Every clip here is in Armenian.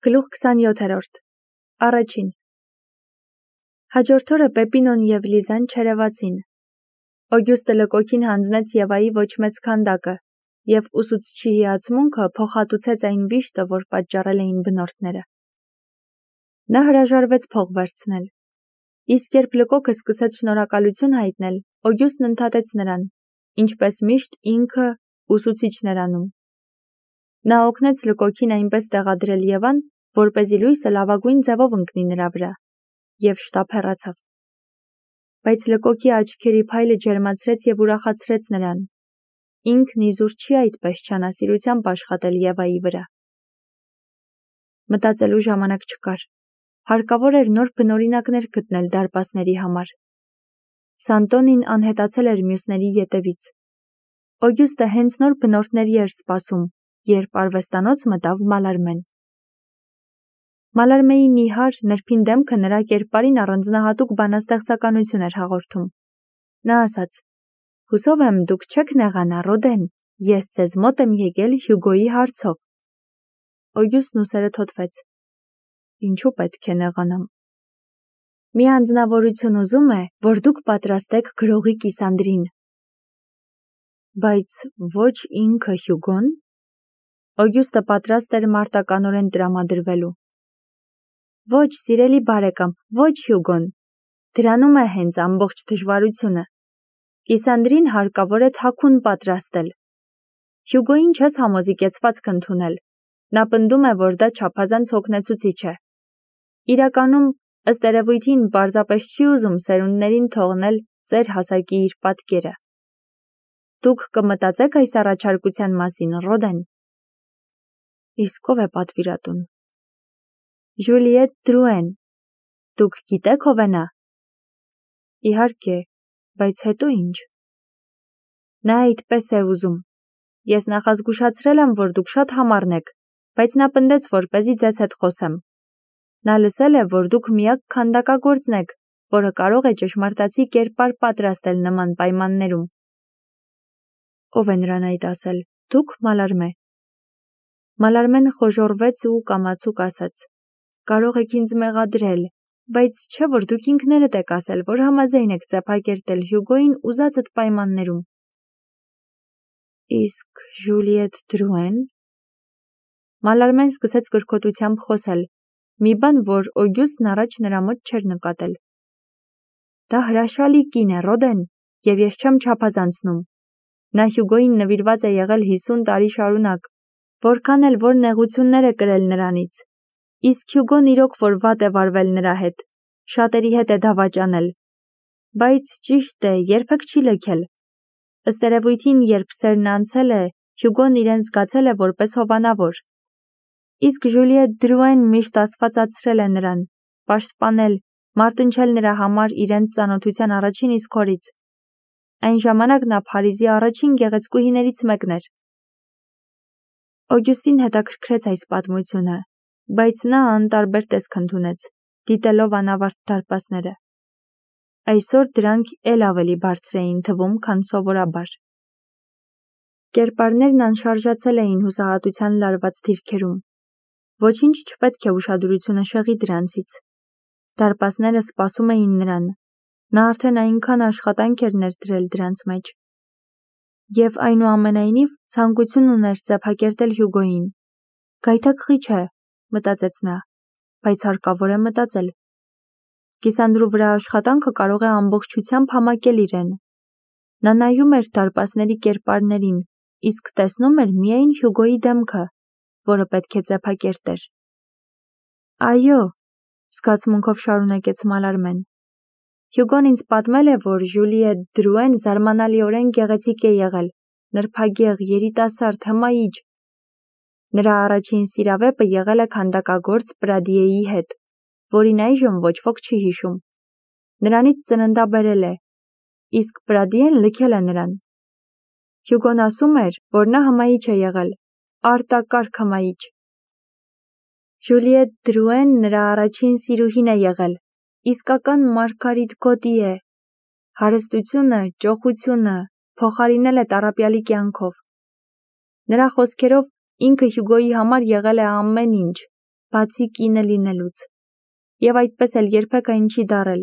Գլուխ 27 Առաջին Հաջորդ օրը Պեպինոն և Լիզան չերևացին։ Օգյուստը լկոքին հանձնեց Եվայի ոչ մեծ քանդակը, և ուսուցչի հիացմունքը փոխհատուցեց այն վիշտը, որ պատճառել էին բնորդները։ Նա հրաժարվեց փող վերցնել։ Իսկ երբ լկոքը սկսեց շնորհակալություն հայտնել, Օգյուստն ընդհատեց նրան, ինչպես միշտ ինքը ուսուցիչն էր անում։ Նա օգնեց լկոքին այնպես տեղադրել Եվան, որպեսզի լույսը լավագույն ձևով ընկնի նրա վրա, և շտապ հեռացավ։ Բայց լկոքի աչքերի փայլը ջերմացրեց և ուրախացրեց նրան։ Ինքն իզուր չի այդպես չանասիրությամբ աշխատել Եվայի վրա։ Մտածելու ժամանակ չկար։ Հարկավոր էր նոր բնօրինակներ գտնել դարպասների համար։ Սանտոնին անհետացել էր մյուսների ետևից։ Օգյուստը հենց նոր բնորդների էր սպասում, երբ արվեստանոց մտավ Մալարմեն։ Մալարմեի նիհար, նրբին դեմքը նրա կերպարին առանձնահատուկ բանաստեղծականություն էր հաղորդում։ Նա ասաց. «Հուսով եմ, դուք չեք նեղանա, Ռոդեն, ես ձեզ մոտ եմ եկել Հյուգոյի հարցով»։ Օգյուստն ուսերը թոթվեց. «Ինչու պետք է նեղանամ։ Մի անձնավորություն ուզում է, որ դուք պատրաստեք գրողի Կիսանդրին»։ Բայց ոչ ինքը Հյուգոն։ Օգյուստը պատրաստ էր մարտականորեն տրամադրվելու։ Ոչ, սիրելի բարեկամ, ոչ Հյուգոն։ Դրանում է հենց ամբողջ դժվարությունը։ Կիսանդրին հարկավոր է թաքուն պատրաստել։ Հյուգոյին չես համոզիկեցվածք ընդունել։ Նա պնդում է, որ դա չափազանց հոգնեցուցիչ է։ Իրականում, ըստ երևույթին, պարզապես չի ուզում սերունդներին թողնել ծեր հասակի իր պատկերը։ Դուք կմտածեք այս առաջարկության մասին, Ռոդեն։ Իսկ ով է պատվիրատուն։ Ժուլիետ Դրուեն։ Դուք գիտեք ով է նա։ Իհարկե, բայց հետո ինչ։ Նա այդպես է ուզում։ Ես նախազգուշացրել եմ, որ դուք շատ համառն եք, բայց նա պնդեց, որպեսզի ձեզ հետ խոսեմ։ Նա լսել է, որ դուք միակ քանդակագործն եք, որը կարող է ճշմարտացի կերպար պատրաստել նման պայմաններում։ Ով է նրան այդ ասել, դուք, Մալարմե։ Մալարմեն խոժոռվեց ու կամացուկ ասաց. Կարող եք ինձ մեղադրել, բայց չէ՞ որ դուք ինքներդ եք ասել, որ համաձայն եք ծափակերտել Հյուգոյին ուզածդ պայմաններում։ Իսկ Ժուլիետ Դրուեն։ Մալարմեն սկսեց կրկոտությամբ խոսել, մի բան, որ Օգյուստն առաջ նրա մոտ չէր նկատել։ Դա հրաշալի կին է, Ռոդեն, և ես չեմ չափազանցնում։ Նա Հյուգոյին նվիրված է եղել 50 տարի շարունակ, որքան էլ որ նեղություններ է կրել նրանից։ Իսկ Հյուգոն իրոք որ վատ է վարվել նրա հետ, շատերի հետ է դավաճանել։ Բայց ճիշտ է, երբեք չի լքել։ Ըստ երևույթին, երբ սերն անցել է, Հյուգոն իրեն զգացել է որպես հովանավոր։ Իսկ Ժուլիետ Դրուեն միշտ աստվածացրել է նրան, պաշտպանել, մարտնչել նրա համար իրենց ծանոթության առաջին իսկ օրից։ Այն ժամանակ նա Փարիզի առաջին գեղեցկուհիներից մեկն էր։ Օգյուստին հետաքրքրեց այս պատմությունը, բայց նա անտարբեր տեսք ընդունեց, դիտելով անավարտ դարպասները։ Այսօր դրանք էլ ավելի բարձր էին թվում, քան սովորաբար։ Կերպարներն անշարժացել էին հուսահատության լարված դիրքերում։ Ոչինչ չպետք է ուշադրությունը շեղի դրանցից։ Դարպասները սպասում էին նրան։ Նա արդեն այնքան աշխատանք էր ներդրել դրանց մեջ։ Եվ այնուամենայնիվ ցանկություն ուներ ծափակերտել Հյուգոյին։ Գայթակղիչ է, մտածեց նա, բայց հարկավոր է մտածել։ Կիսանդրու վրա աշխատանքը կարող է ամբողջությամբ համակել իրեն։ Նա նայում էր դարպասների կերպարներին, իսկ տեսնում էր միայն Հյուգոյի դեմքը, որը պետք է ծափակերտեր։ Այո, զգացմունքով շարունակեց Մալարմեն։ Հյուգոն ինձ պատմել է, որ Ժուլիետ Դրուեն զարմանալիորեն գեղեցիկ է եղել, նրբագեղ, երիտասարդ, հմայիչ։ Նրա առաջին սիրավեպը եղել է քանդակագործ Պրադիեի հետ, որին այժմ ոչ ոք չի հիշում։ Նրանից ծննդաբերել է, իսկ Պրադիեն լքել է նրան։ Հյուգոն ասում էր, որ նա հմայիչ է եղել, արտակարգ հմայիչ։ Ժուլիետ Դրուեն նրա առաջին սիրուհին է եղել, իսկական Մարգարիտ Գոտի է։ Հարստությունը, ճոխությունը փոխարինել է տառապյալի կյանքով։ Նրա խոսքերով ինքը Հյուգոյի համար եղել է ամեն ինչ, բացի կինը լինելուց, և այդպես էլ երբեք այն չի դարել։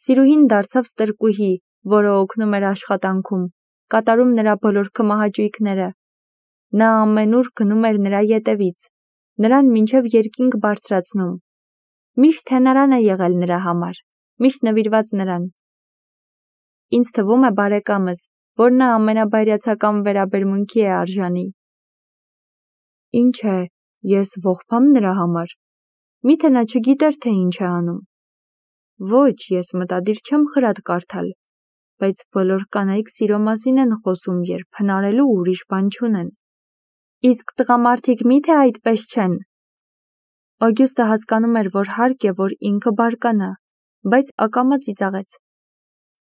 Սիրուհին դարձավ ստրկուհի, որը օգնում էր աշխատանքում, կատարում նրա բոլոր կմահաճույքները։ Նա ամենուր գնում էր նրա ետևից, նրան մինչև երկինք բարձրացնում։ Միշտ հենարան է եղել նրա համար, միշտ նվիրված նրան։ Ինձ թվում է, բարեկամս, որ նա ամենաբայրացական վերաբերմունքի է արժանի։ Ինչ է, ես ողբամ նրա համար։ Միթե նա չգիտեր, թե ինչ է անում։ Ոչ, ես մտադիր չեմ խրատ կարդալ, բայց բոլոր կանայք սիրո մասին են խոսում, երբ հնարելու ուրիշ բան չունեն։ Իսկ տղամարդիկ միթե այդպես չեն։ Օգյուստը հասկանում էր, որ հարկ է, որ ինքը բարկանա, բայց ակամա ծիծաղեց։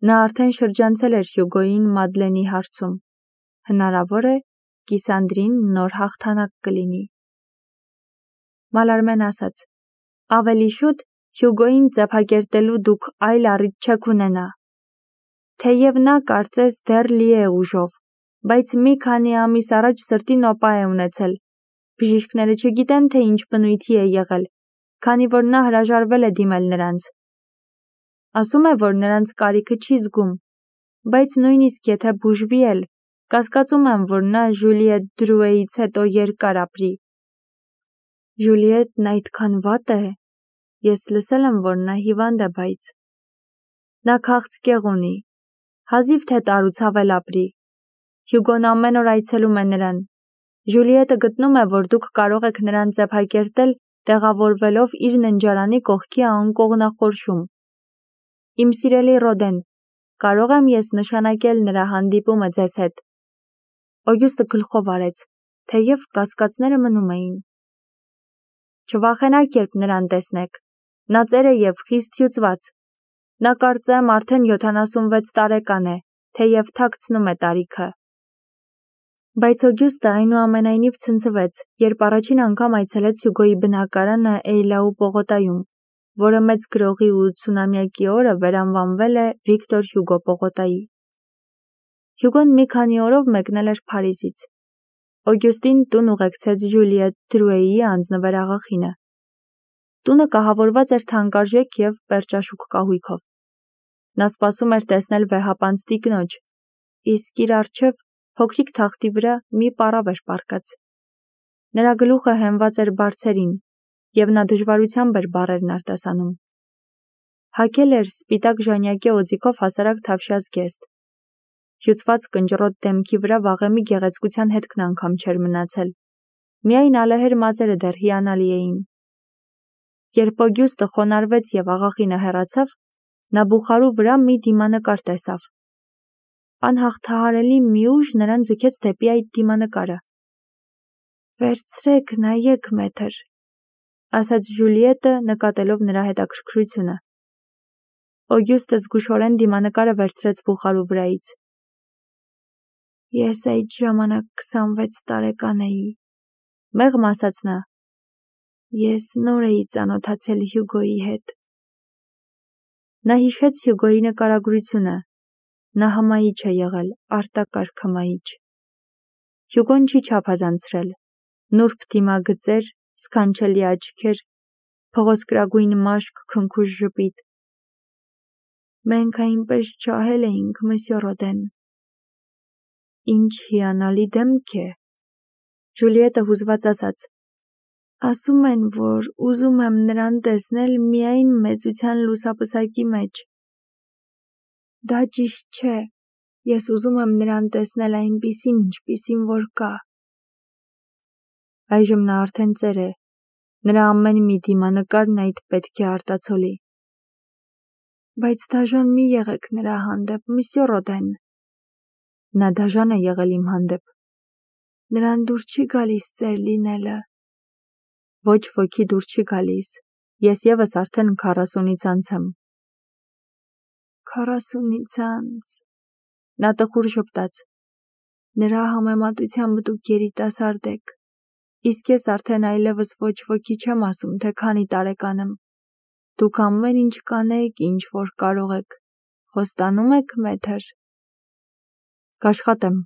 Նա արդեն շրջանցել էր Հյուգոյին Մադլենի հարցում։ Հնարավոր է, Կիսանդրին նոր հաղթանակ կլինի։ Մալարմեն ասաց. ավելի շուտ Հյուգոյին ձեփակերտելու դուք այլ առիթ չեք ունենա։ Թեև նա կարծես դեռ լի է ուժով, բայց մի քանի ամիս առաջ սրտի նոպա է ունեցել։ Բժիշկները չգիտեն, թե ինչ բնույթի է եղել, քանի որ նա հրաժարվել է դիմել նրանց։ Ասում է, որ նրանց կարիքը չի զգում, բայց նույնիսկ եթե բուժվի էլ, կասկածում եմ, որ նա Ժուլիետ Դրուեից հետո երկար ապրի։ Ժուլիետն այդքան վատ է։ Ես լսել եմ, որ նա հիվանդ է, բայց… Նա քաղցկեղ ունի, հազիվ թե տարուցավել ապրի։ Հյուգոն ամեն օր այցելում է նրան։ Ժուլիետը գտնում է, որ դուք կարող եք նրան ձեփակերտել, տեղավորվելով իր ննջարանի կողքի անկողնախորշում։ Իմ սիրելի Ռոդեն, կարող եմ ես նշանակել նրա հանդիպումը ձեզ հետ։ Օգյուստը գլխով արեց, թեև կասկածները մնում էին։ Չվախենաք, երբ նրան տեսնեք։ Նա ծեր է և խիստ հյուծված։ Նա կարծեմ արդեն 76 տարեկան է, թեև թաքցնում է տարիքը։ Բայց Օգյուստը այնուամենայնիվ ցնցվեց, երբ առաջին անգամ այցելեց Հյուգոյի բնակարանը Էյլաու պողոտայում, որը մեծ գրողի 80-ամյակի օրը վերանվանվել է Վիկտոր Հյուգո պողոտայի։ Հյուգոն մի քանի օրով մեկնել էր Փարիզից։ Օգյուստին տուն ուղեկցեց Ժուլիետ Դրուեի անձնվեր աղախինը։ Տունը կահավորված էր թանկարժեք և պերճաշուք կահույքով։ Նա սպասում էր տեսնել վեհապանծ տիկնոջ, իսկ իր առջև փոքրիկ թախտի վրա մի պառավ էր պառկած։ Նրա գլուխը հենված էր բարձերին, և նա դժվարությամբ էր բառերն արտասանում։ Հագել էր սպիտակ ժանյակե օձիքով հասարակ թավշյա զգեստ։ Հյուծված կնճռոտ դեմքի վրա վաղեմի գեղեցկության հետքն անգամ չէր մնացել։ Միայն ալեհեր մազերը դեռ հիանալի էին։ Երբ Օգյուստը խոնարհվեց և աղախինը հեռացավ, նա բուխարու վրա մի դիմանկար տեսավ։ Անհաղթահարելի մի ուժ նրան ձգեց դեպի այդ դիմանկարը։ Վերցրեք, նայեք, մեթր, ասաց Ժուլիետը, նկատելով նրա հետաքրքրությունը։ Օգյուստը զգուշորեն դիմանկարը վերցրեց բուխարու վրայից։ Ես այդ ժամանակ 26 տարեկան էի, մեղմ ասաց նա։ Ես նոր էի ծանոթացել Հյուգոյի հետ։ Նա հիշեց Հյուգոյի նկարագրությունը։ Նա հմայիչ է եղել, արտակարգ հմայիչ։ Հյուգոն չի չափազանցրել։ Նուրբ դիմագծեր, սքանչելի աչքեր, փղոսկրագույն մաշկ, քնքուշ ժպիտ։ Մենք այնպես ջահել էինք, մսյո Ռոդեն։ Ինչ հիանալի դեմք է, Ժուլիետը հուզված ասաց։ Ասում են, որ ուզում եմ նրան տեսնել միայն մեծության լուսապսակի մեջ։ Դա ճիշտ չէ, ես ուզում եմ նրան տեսնել այնպիսին, ինչպիսին որ կա։ Այժմ նա արդեն ծեր է, նրա ամեն մի դիմանկարն այդ պետք է արտացոլի։ Բայց դաժան մի եղեք նրա հանդեպ, մսյո Ռոդեն։ Նա դաժան է եղել իմ հանդեպ։ Նրան դուր չի գալիս ծեր լինելը։ Ոչ ոքի դուր չի գալիս, ես ևս արդեն 40-ից անց եմ։ 40-ից անց… Նա տխուր ժպտաց։ Նրա համեմատությամբ դուք երիտասարդ եք, իսկ ես արդեն այլևս ոչ ոքի չեմ ասում, թե քանի տարեկան եմ։ Դուք ամեն ինչ կանեք, ինչ որ կարող եք։ Խոստանում եք, մեթր։ Կաշխատեմ։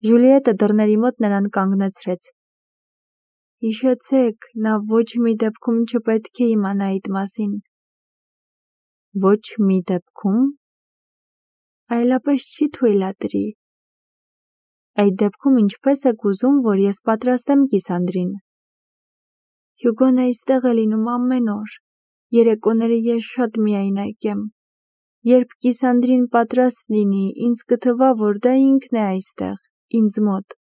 Ժուլիետը դռների մոտ նրան կանգնեցրեց։ Հիշեցեք, նա ոչ մի դեպքում չպետք է իմանա այդ մասին։ Ոչ մի դեպքում։ Այլապես չի թույլատրի։ Այդ դեպքում ինչպես եք ուզում, որ ես պատրաստեմ Կիսանդրին։ Հյուգոն այստեղ է լինում ամեն օր։ Երեկոները ես շատ միայնակ եմ։ Երբ Կիսանդրին պատրաստ լինի, ինձ կթվա, որ դա ինքն է այստեղ, ինձ մոտ։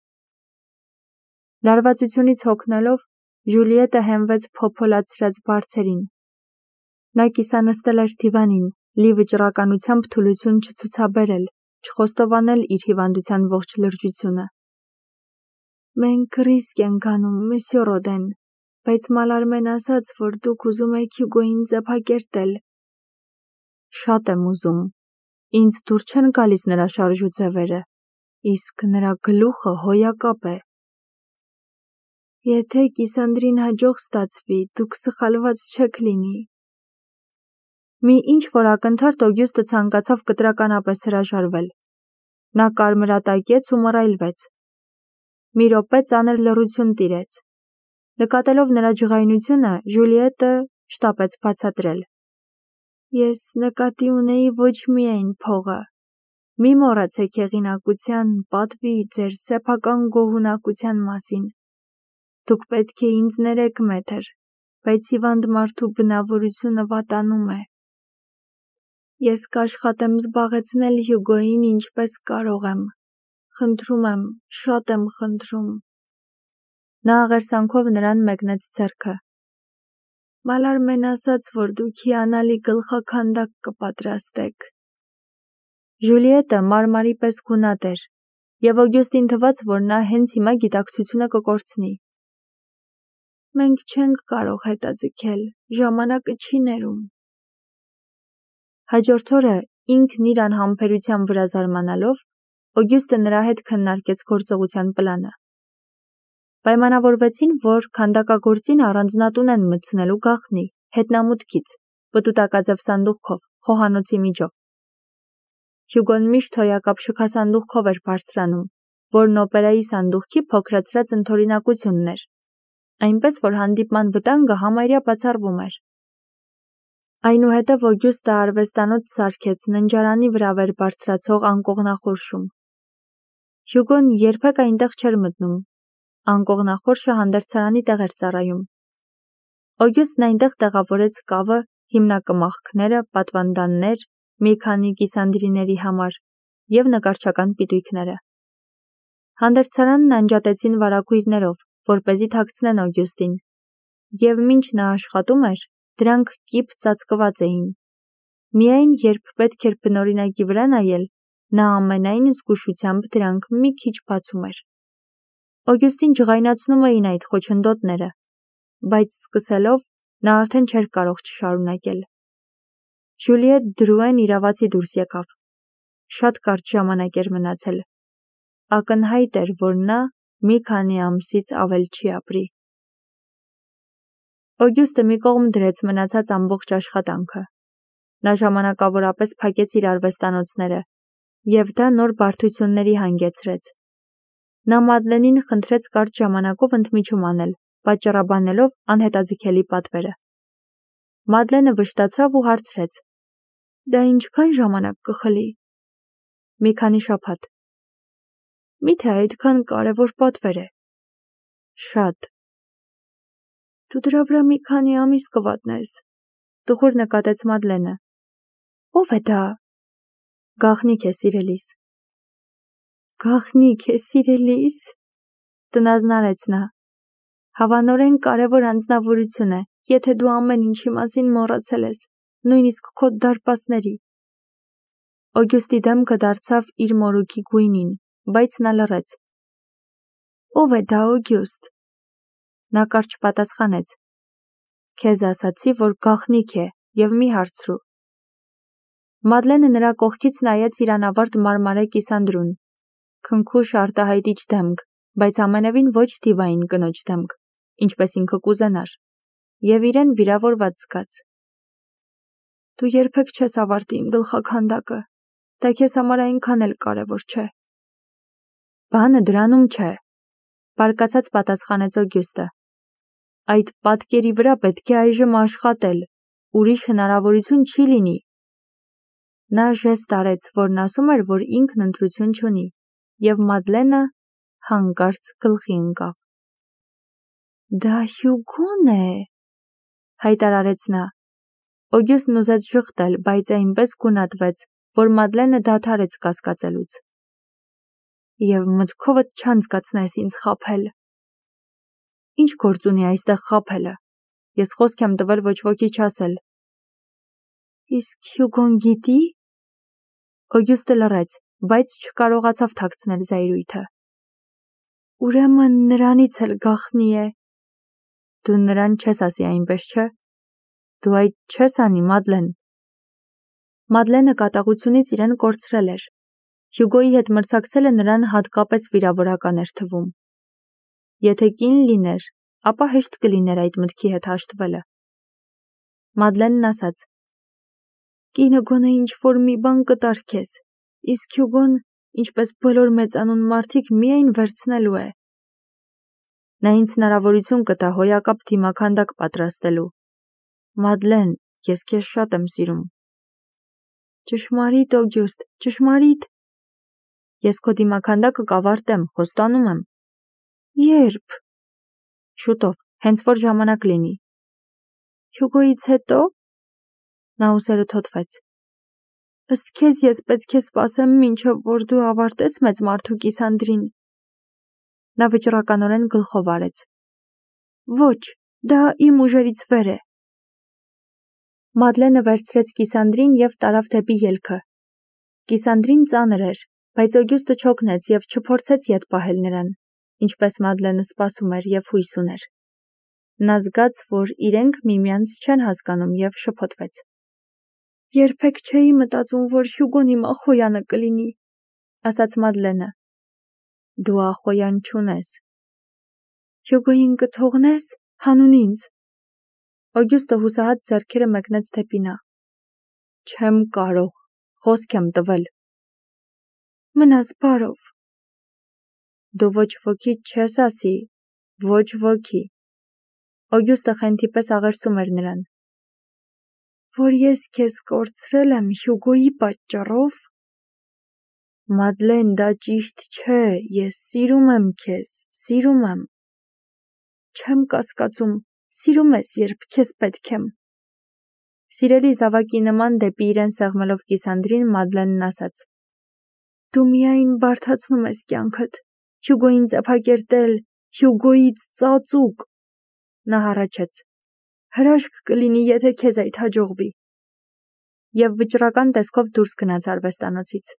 Լարվածությունից հոգնելով, Ժուլիետը հենվեց փոփոլացրած բարձերին։ Նա կիսանստել էր դիվանին, լի վճռականությամբ թուլություն չցուցաբերել, չխոստովանել իր հիվանդության ողջ լրջությունը։ Մենք ռիսկ ենք անում, Մսյո Ռոդեն, բայց Մալարմեն ասաց, որ դուք ուզում եք Հյուգոյին ձեփակերտել։ Շատ եմ ուզում։ Ինձ դուր չեն գալիս նրա շարժուձևերը, իսկ նրա գլուխը հոյակապ է։ Եթե Կիսանդրին հաջող ստացվի, դուք սխալված չեք լինի։ Մի ինչ-որ ակնթարթ Օգյուստը ցանկացավ կտրականապես հրաժարվել։ Նա կարմրատակեց ու մռայլվեց։ Մի րոպե ծանր լռություն տիրեց։ Նկատելով նրա ջղայնությունը, Ժուլիետը շտապեց բացատրել։ Ես նկատի ունեի ոչ միայն փողը։ Մի մոռացեք հեղինակության, պատվի, ձեր սեփական գոհունակության մասին։ Դուք պետք է ինձ ներեք, մեթր, բայց հիվանդ մարդու բնավորությունը վատանում է։ Ես կաշխատեմ զբաղեցնել Հյուգոյին ինչպես կարող եմ։ Խնդրում եմ, շատ եմ խնդրում։ Նա աղերսանքով նրան մեկնեց ձեռքը։ Մալարմեն ասաց, որ դուք հիանալի գլխաքանդակ կպատրաստեք։ Ժուլիետը մարմարի պես գունատ էր, և Օգյուստին թվաց, որ նա հենց հիմա գիտակցությունը կկորցնի։ Մենք չենք կարող հետաձգել, ժամանակը չի ներում։ Հաջորդ օրը, ինքն իր անհամբերության վրա զարմանալով, Օգյուստը նրա հետ քննարկեց գործողության պլանը։ Պայմանավորվեցին, որ քանդակագործին առանձնատուն են մտցնելու գաղտնի, հետնամուտքից, պտուտակաձև սանդուղքով, խոհանոցի միջով։ Հյուգոն միշտ հոյակապ շքասանդուղքով էր բարձրանում, որն օպերայի սանդուղքի փոքրացրած ընդօրինակությունն էր, այնպես որ հանդիպման վտանգը համարյա բացառվում էր։ Այնուհետև Օգյուստը արվեստանոց սարքեց ննջարանի վրա վեր բարձրացող անկողնախորշում։ Հյուգոն երբեք այնտեղ չէր մտնում։ Անկողնախորշը հանդերձարանի տեղ էր ծառայում։ Օգյուստն այնտեղ տեղավորեց կավը, հիմնակմախքները, պատվանդաններ, մի քանի կիսանդրիների համար և նկարչական պիտույքները։ Հանդերձարանն անջատեցին վարագույրներով, որպեսզի թաքցնեն Օգյուստին, և մինչ նա աշխատում էր, դրանք կիպ ծածկված էին։ Միայն երբ պետք էր բնօրինակի վրա նայել, նա ամենայն զգուշությամբ դրանք մի քիչ բացում էր։ Օգյուստին ջղայնացնում էին այդ խոչընդոտները, բայց սկսելով նա արդեն չէր կարող չշարունակել։ Ժուլիետ Դրուեն իրավացի դուրս եկավ։ Շատ կարճ ժամանակ էր մնացել։ Ակնհայտ էր, որ նա մի քանի ամսից ավել չի ապրի։ Օգյուստը մի կողմ դրեց մնացած ամբողջ աշխատանքը։ Նա ժամանակավորապես փակեց իր արվեստանոցները, և դա նոր բարդությունների հանգեցրեց։ Նա Մադլենին խնդրեց կարճ ժամանակով ընդմիջում անել, պատճառաբանելով անհետաձգելի պատվերը։ Մադլենը վշտացավ ու հարցրեց. Դա ինչքան ժամանակ կխլի։ Մի քանի շաբաթ։ Միթե այդքան կարևոր պատվեր է։ Շատ։ Դու դրա վրա մի քանի ամիս կվատնես, տխուր նկատեց Մադլենը։ Ո՞վ է դա։ Գաղտնիք է սիրելիս։ Գաղտնիք է սիրելիս, տնազնարեց նա։ Հավանորեն կարևոր անձնավորություն է, եթե դու ամեն ինչի մասին մոռացել ես, նույնիսկ քո դարպասների։ Օգյուստի դեմքը դարձավ իր մորուքի գույնին, բայց նա լռեց։ Ո՞վ է դա, Օգյուստ։ Նա կարճ պատասխանեց. Քեզ ասացի, որ գաղտնիք է, և մի հարցրու։ Մադլենը նրա կողքից նայեց իր անավարտ մարմարե կիսանդրուն։ Քնքուշ արտահայտիչ դեմք, բայց ամենևին ոչ դիվային կնոջ դեմք, ինչպես ինքը կուզենար, և իրեն վիրավորված զգաց։ Դու երբեք չես ավարտի իմ գլխաքանդակը, դա քեզ համար այնքան էլ կարևոր չէ։ Բանը դրանում չէ, բարկացած պատասխանեց Օգյուստը։ Այդ պատկերի վրա պետք է այժմ աշխատել, ուրիշ հնարավորություն չի լինի։ Նա ժեստ արեց, որն ասում էր, որ ինքն ընտրություն չունի, և Մադլենը հանկարծ գլխի ընկավ։ Դա Հյուգոն է, հայտարարեց նա։ Օգյուստն ուզեց ժխտել, բայց այնպես գունատվեց, որ Մադլենը դադարեց կասկածելուց։ Եվ մտքովդ չանցկացնես ինձ խաբել։ Ինչ գործ ունի այստեղ խաբելը։ Ես խոսք եմ տվել ոչ ոքի չասել։ Իսկ Հյուգոն գիտի։ Օգյուստը լռեց, բայց չկարողացավ թաքցնել զայրույթը։ Ուրեմն նրանից էլ գաղտնի է։ Դու նրան չես ասի այնպես, չէ։ Դու այդ չես անի, Մադլեն։ Մադլենը կատաղությունից իրեն կորցրել էր։ Հյուգոյի հետ մրցակցելը նրան հատկապես վիրավորական էր թվում։ Եթե կին լիներ, ապա հեշտ կլիներ այդ մտքի հետ հաշտվելը։ Մադլենն ասաց. Կինը գոնե ինչ-որ մի բան կտար քեզ, իսկ Հյուգոն, ինչպես բոլոր մեծանուն մարդիկ, միայն վերցնելու է։ Նա ինձ հնարավորություն կտա հոյակապ դիմաքանդակ պատրաստելու։ Մադլեն, ես քեզ շատ եմ սիրում։ Ճշմարիտ, Օգյուստ, ճշմարիտ։ Ես քո դիմաքանդակը կավարտեմ, խոստանում եմ։ Երբ։ Շուտով, հենց որ ժամանակ լինի։ Հյուգոյից հետո։ Նա ուսերը թոթվեց։ Ըստ քեզ ես պետք է սպասեմ, մինչև որ դու ավարտես մեծ մարդու կիսանդրին։ Նա վճռականորեն գլխով արեց։ Ոչ, դա իմ ուժերից վեր է։ Մադլենը վերցրեց կիսանդրին և տարավ դեպի ելքը։ Կիսանդրին ծանր էր, բայց Օգյուստը չօգնեց և չփորձեց ետ պահել նրան, ինչպես Մադլենը սպասում էր և հույս ուներ։ Նա զգաց, որ իրենք միմյանց չեն հասկանում և շփոթվեց։ Երբեք չէի մտածում, որ Հյուգոն իմ ախոյանը կլինի, ասաց Մադլենը։ Դու ախոյան չունես։ Հյուգոյին կթողնես, հանուն ինձ։ Օգյուստը հուսահատ ձեռքերը մեկնեց դեպի նա։ Չեմ կարող, խոսք եմ տվել։ Մնաս բարով։ Դու ոչ ոքի չես ասի, ոչ ոքի։ Օգյուստը խենթի պես աղերսում էր նրան։ Որ ես քեզ կորցրել եմ Հյուգոյի պատճառով։ Մադլեն, դա ճիշտ չէ, ես սիրում եմ քեզ, սիրում եմ։ Չեմ կասկածում, սիրում ես, երբ քեզ պետք եմ։ Սիրելի զավակի նման դեպի իրեն սեղմելով կիսանդրին Մադլենն ասաց. Դու միայն բարդացնում ես կյանքդ, Հյուգոյին ծեփակերտել, Հյուգոյից ծածուկ։ Նա հառաչեց. Հրաշք կլինի, եթե քեզ այդ հաջողվի։ Եվ վճռական տեսքով դուրս գնաց արվեստանոցից։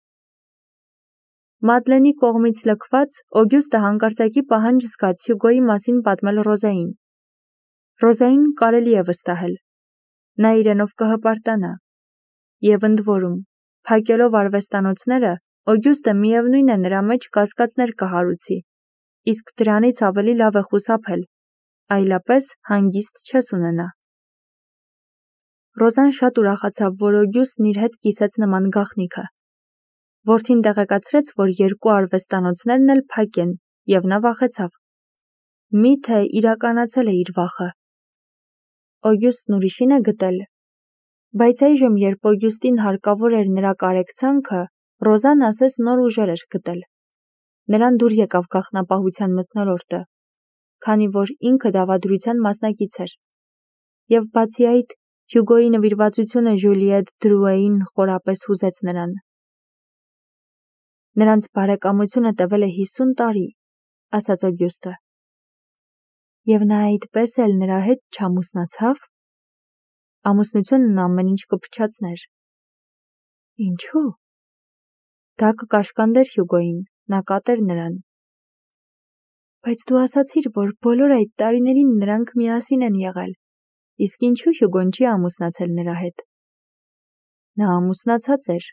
Մադլենի կողմից լքված, Օգյուստը հանկարծակի պահանջ զգաց Հյուգոյի մասին պատմել Ռոզային։ Ռոզային կարելի է վստահել։ Նա իրենով կհպարտանա։ Եվ ընդ որում, փակելով արվեստանոցները, Օգյուստը միևնույն է նրա մեջ կասկածներ կհարուցի, իսկ դրանից ավելի լավ է խուսափել, այլապես հանգիստ չես ունենա։ Ռոզան շատ ուրախացավ, որ Օգյուստն իր հետ կիսեց նման գաղտնիքը։ Որդին տեղեկացրեց, որ երկու արվեստանոցներն էլ փակ են, և նա վախեցավ։ Միթե իրականացել է իր վախը։ Օգյուստն ուրիշին է գտել։ Բայց այժմ, երբ Օգյուստին հարկավոր էր նրա կարեկցանքը, Ռոզան ասես նոր ուժեր էր գտել։ Նրան դուր եկավ գաղտնապահության մթնոլորտը, քանի որ ինքը դավադրության մասնակից էր։ Եվ բացի այդ, Հյուգոյի նվիրվածությունը Ժուլիետ Դրուեին խորապես հուզեց նրան։ Նրանց բարեկամությունը տևել է 50 տարի, ասաց Օգյուստը։ Եվ նա այդպես էլ նրա հետ չամուսնացավ։ Ամուսնությունն ամեն ինչ կփչացներ։ Ինչու՞։ Դա կկաշկանդեր Հյուգոյին, նա կատեր նրան։ Բայց դու ասացիր, որ բոլոր այդ տարիներին նրանք միասին են եղել, իսկ ինչու Հյուգոն չի ամուսնացել նրա հետ։ Նա ամուսնացած էր։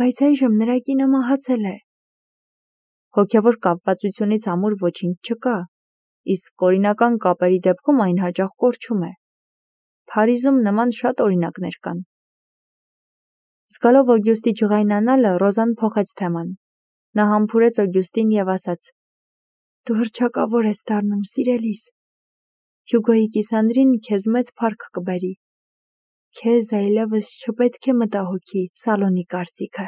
Բայց այժմ նրա կինը մահացել է։ Հոգևոր կապվածությունից ամուր ոչինչ չկա, իսկ օրինական կապերի դեպքում այն հաճախ կորչում է։ Փարիզում նման շատ օրինակներ կան։ Զգալով Օգյուստի ջղայնանալը, Ռոզան փոխեց թեման։ Նա համբուրեց Օգյուստին և ասաց. Դու հռչակավոր ես դառնում, սիրելիս։ Հյուգոյի կիսանդրին քեզ մեծ փառք կբերի։ Քեզ այլևս չպետք է մտահոգի Սալոնի կարծիքը։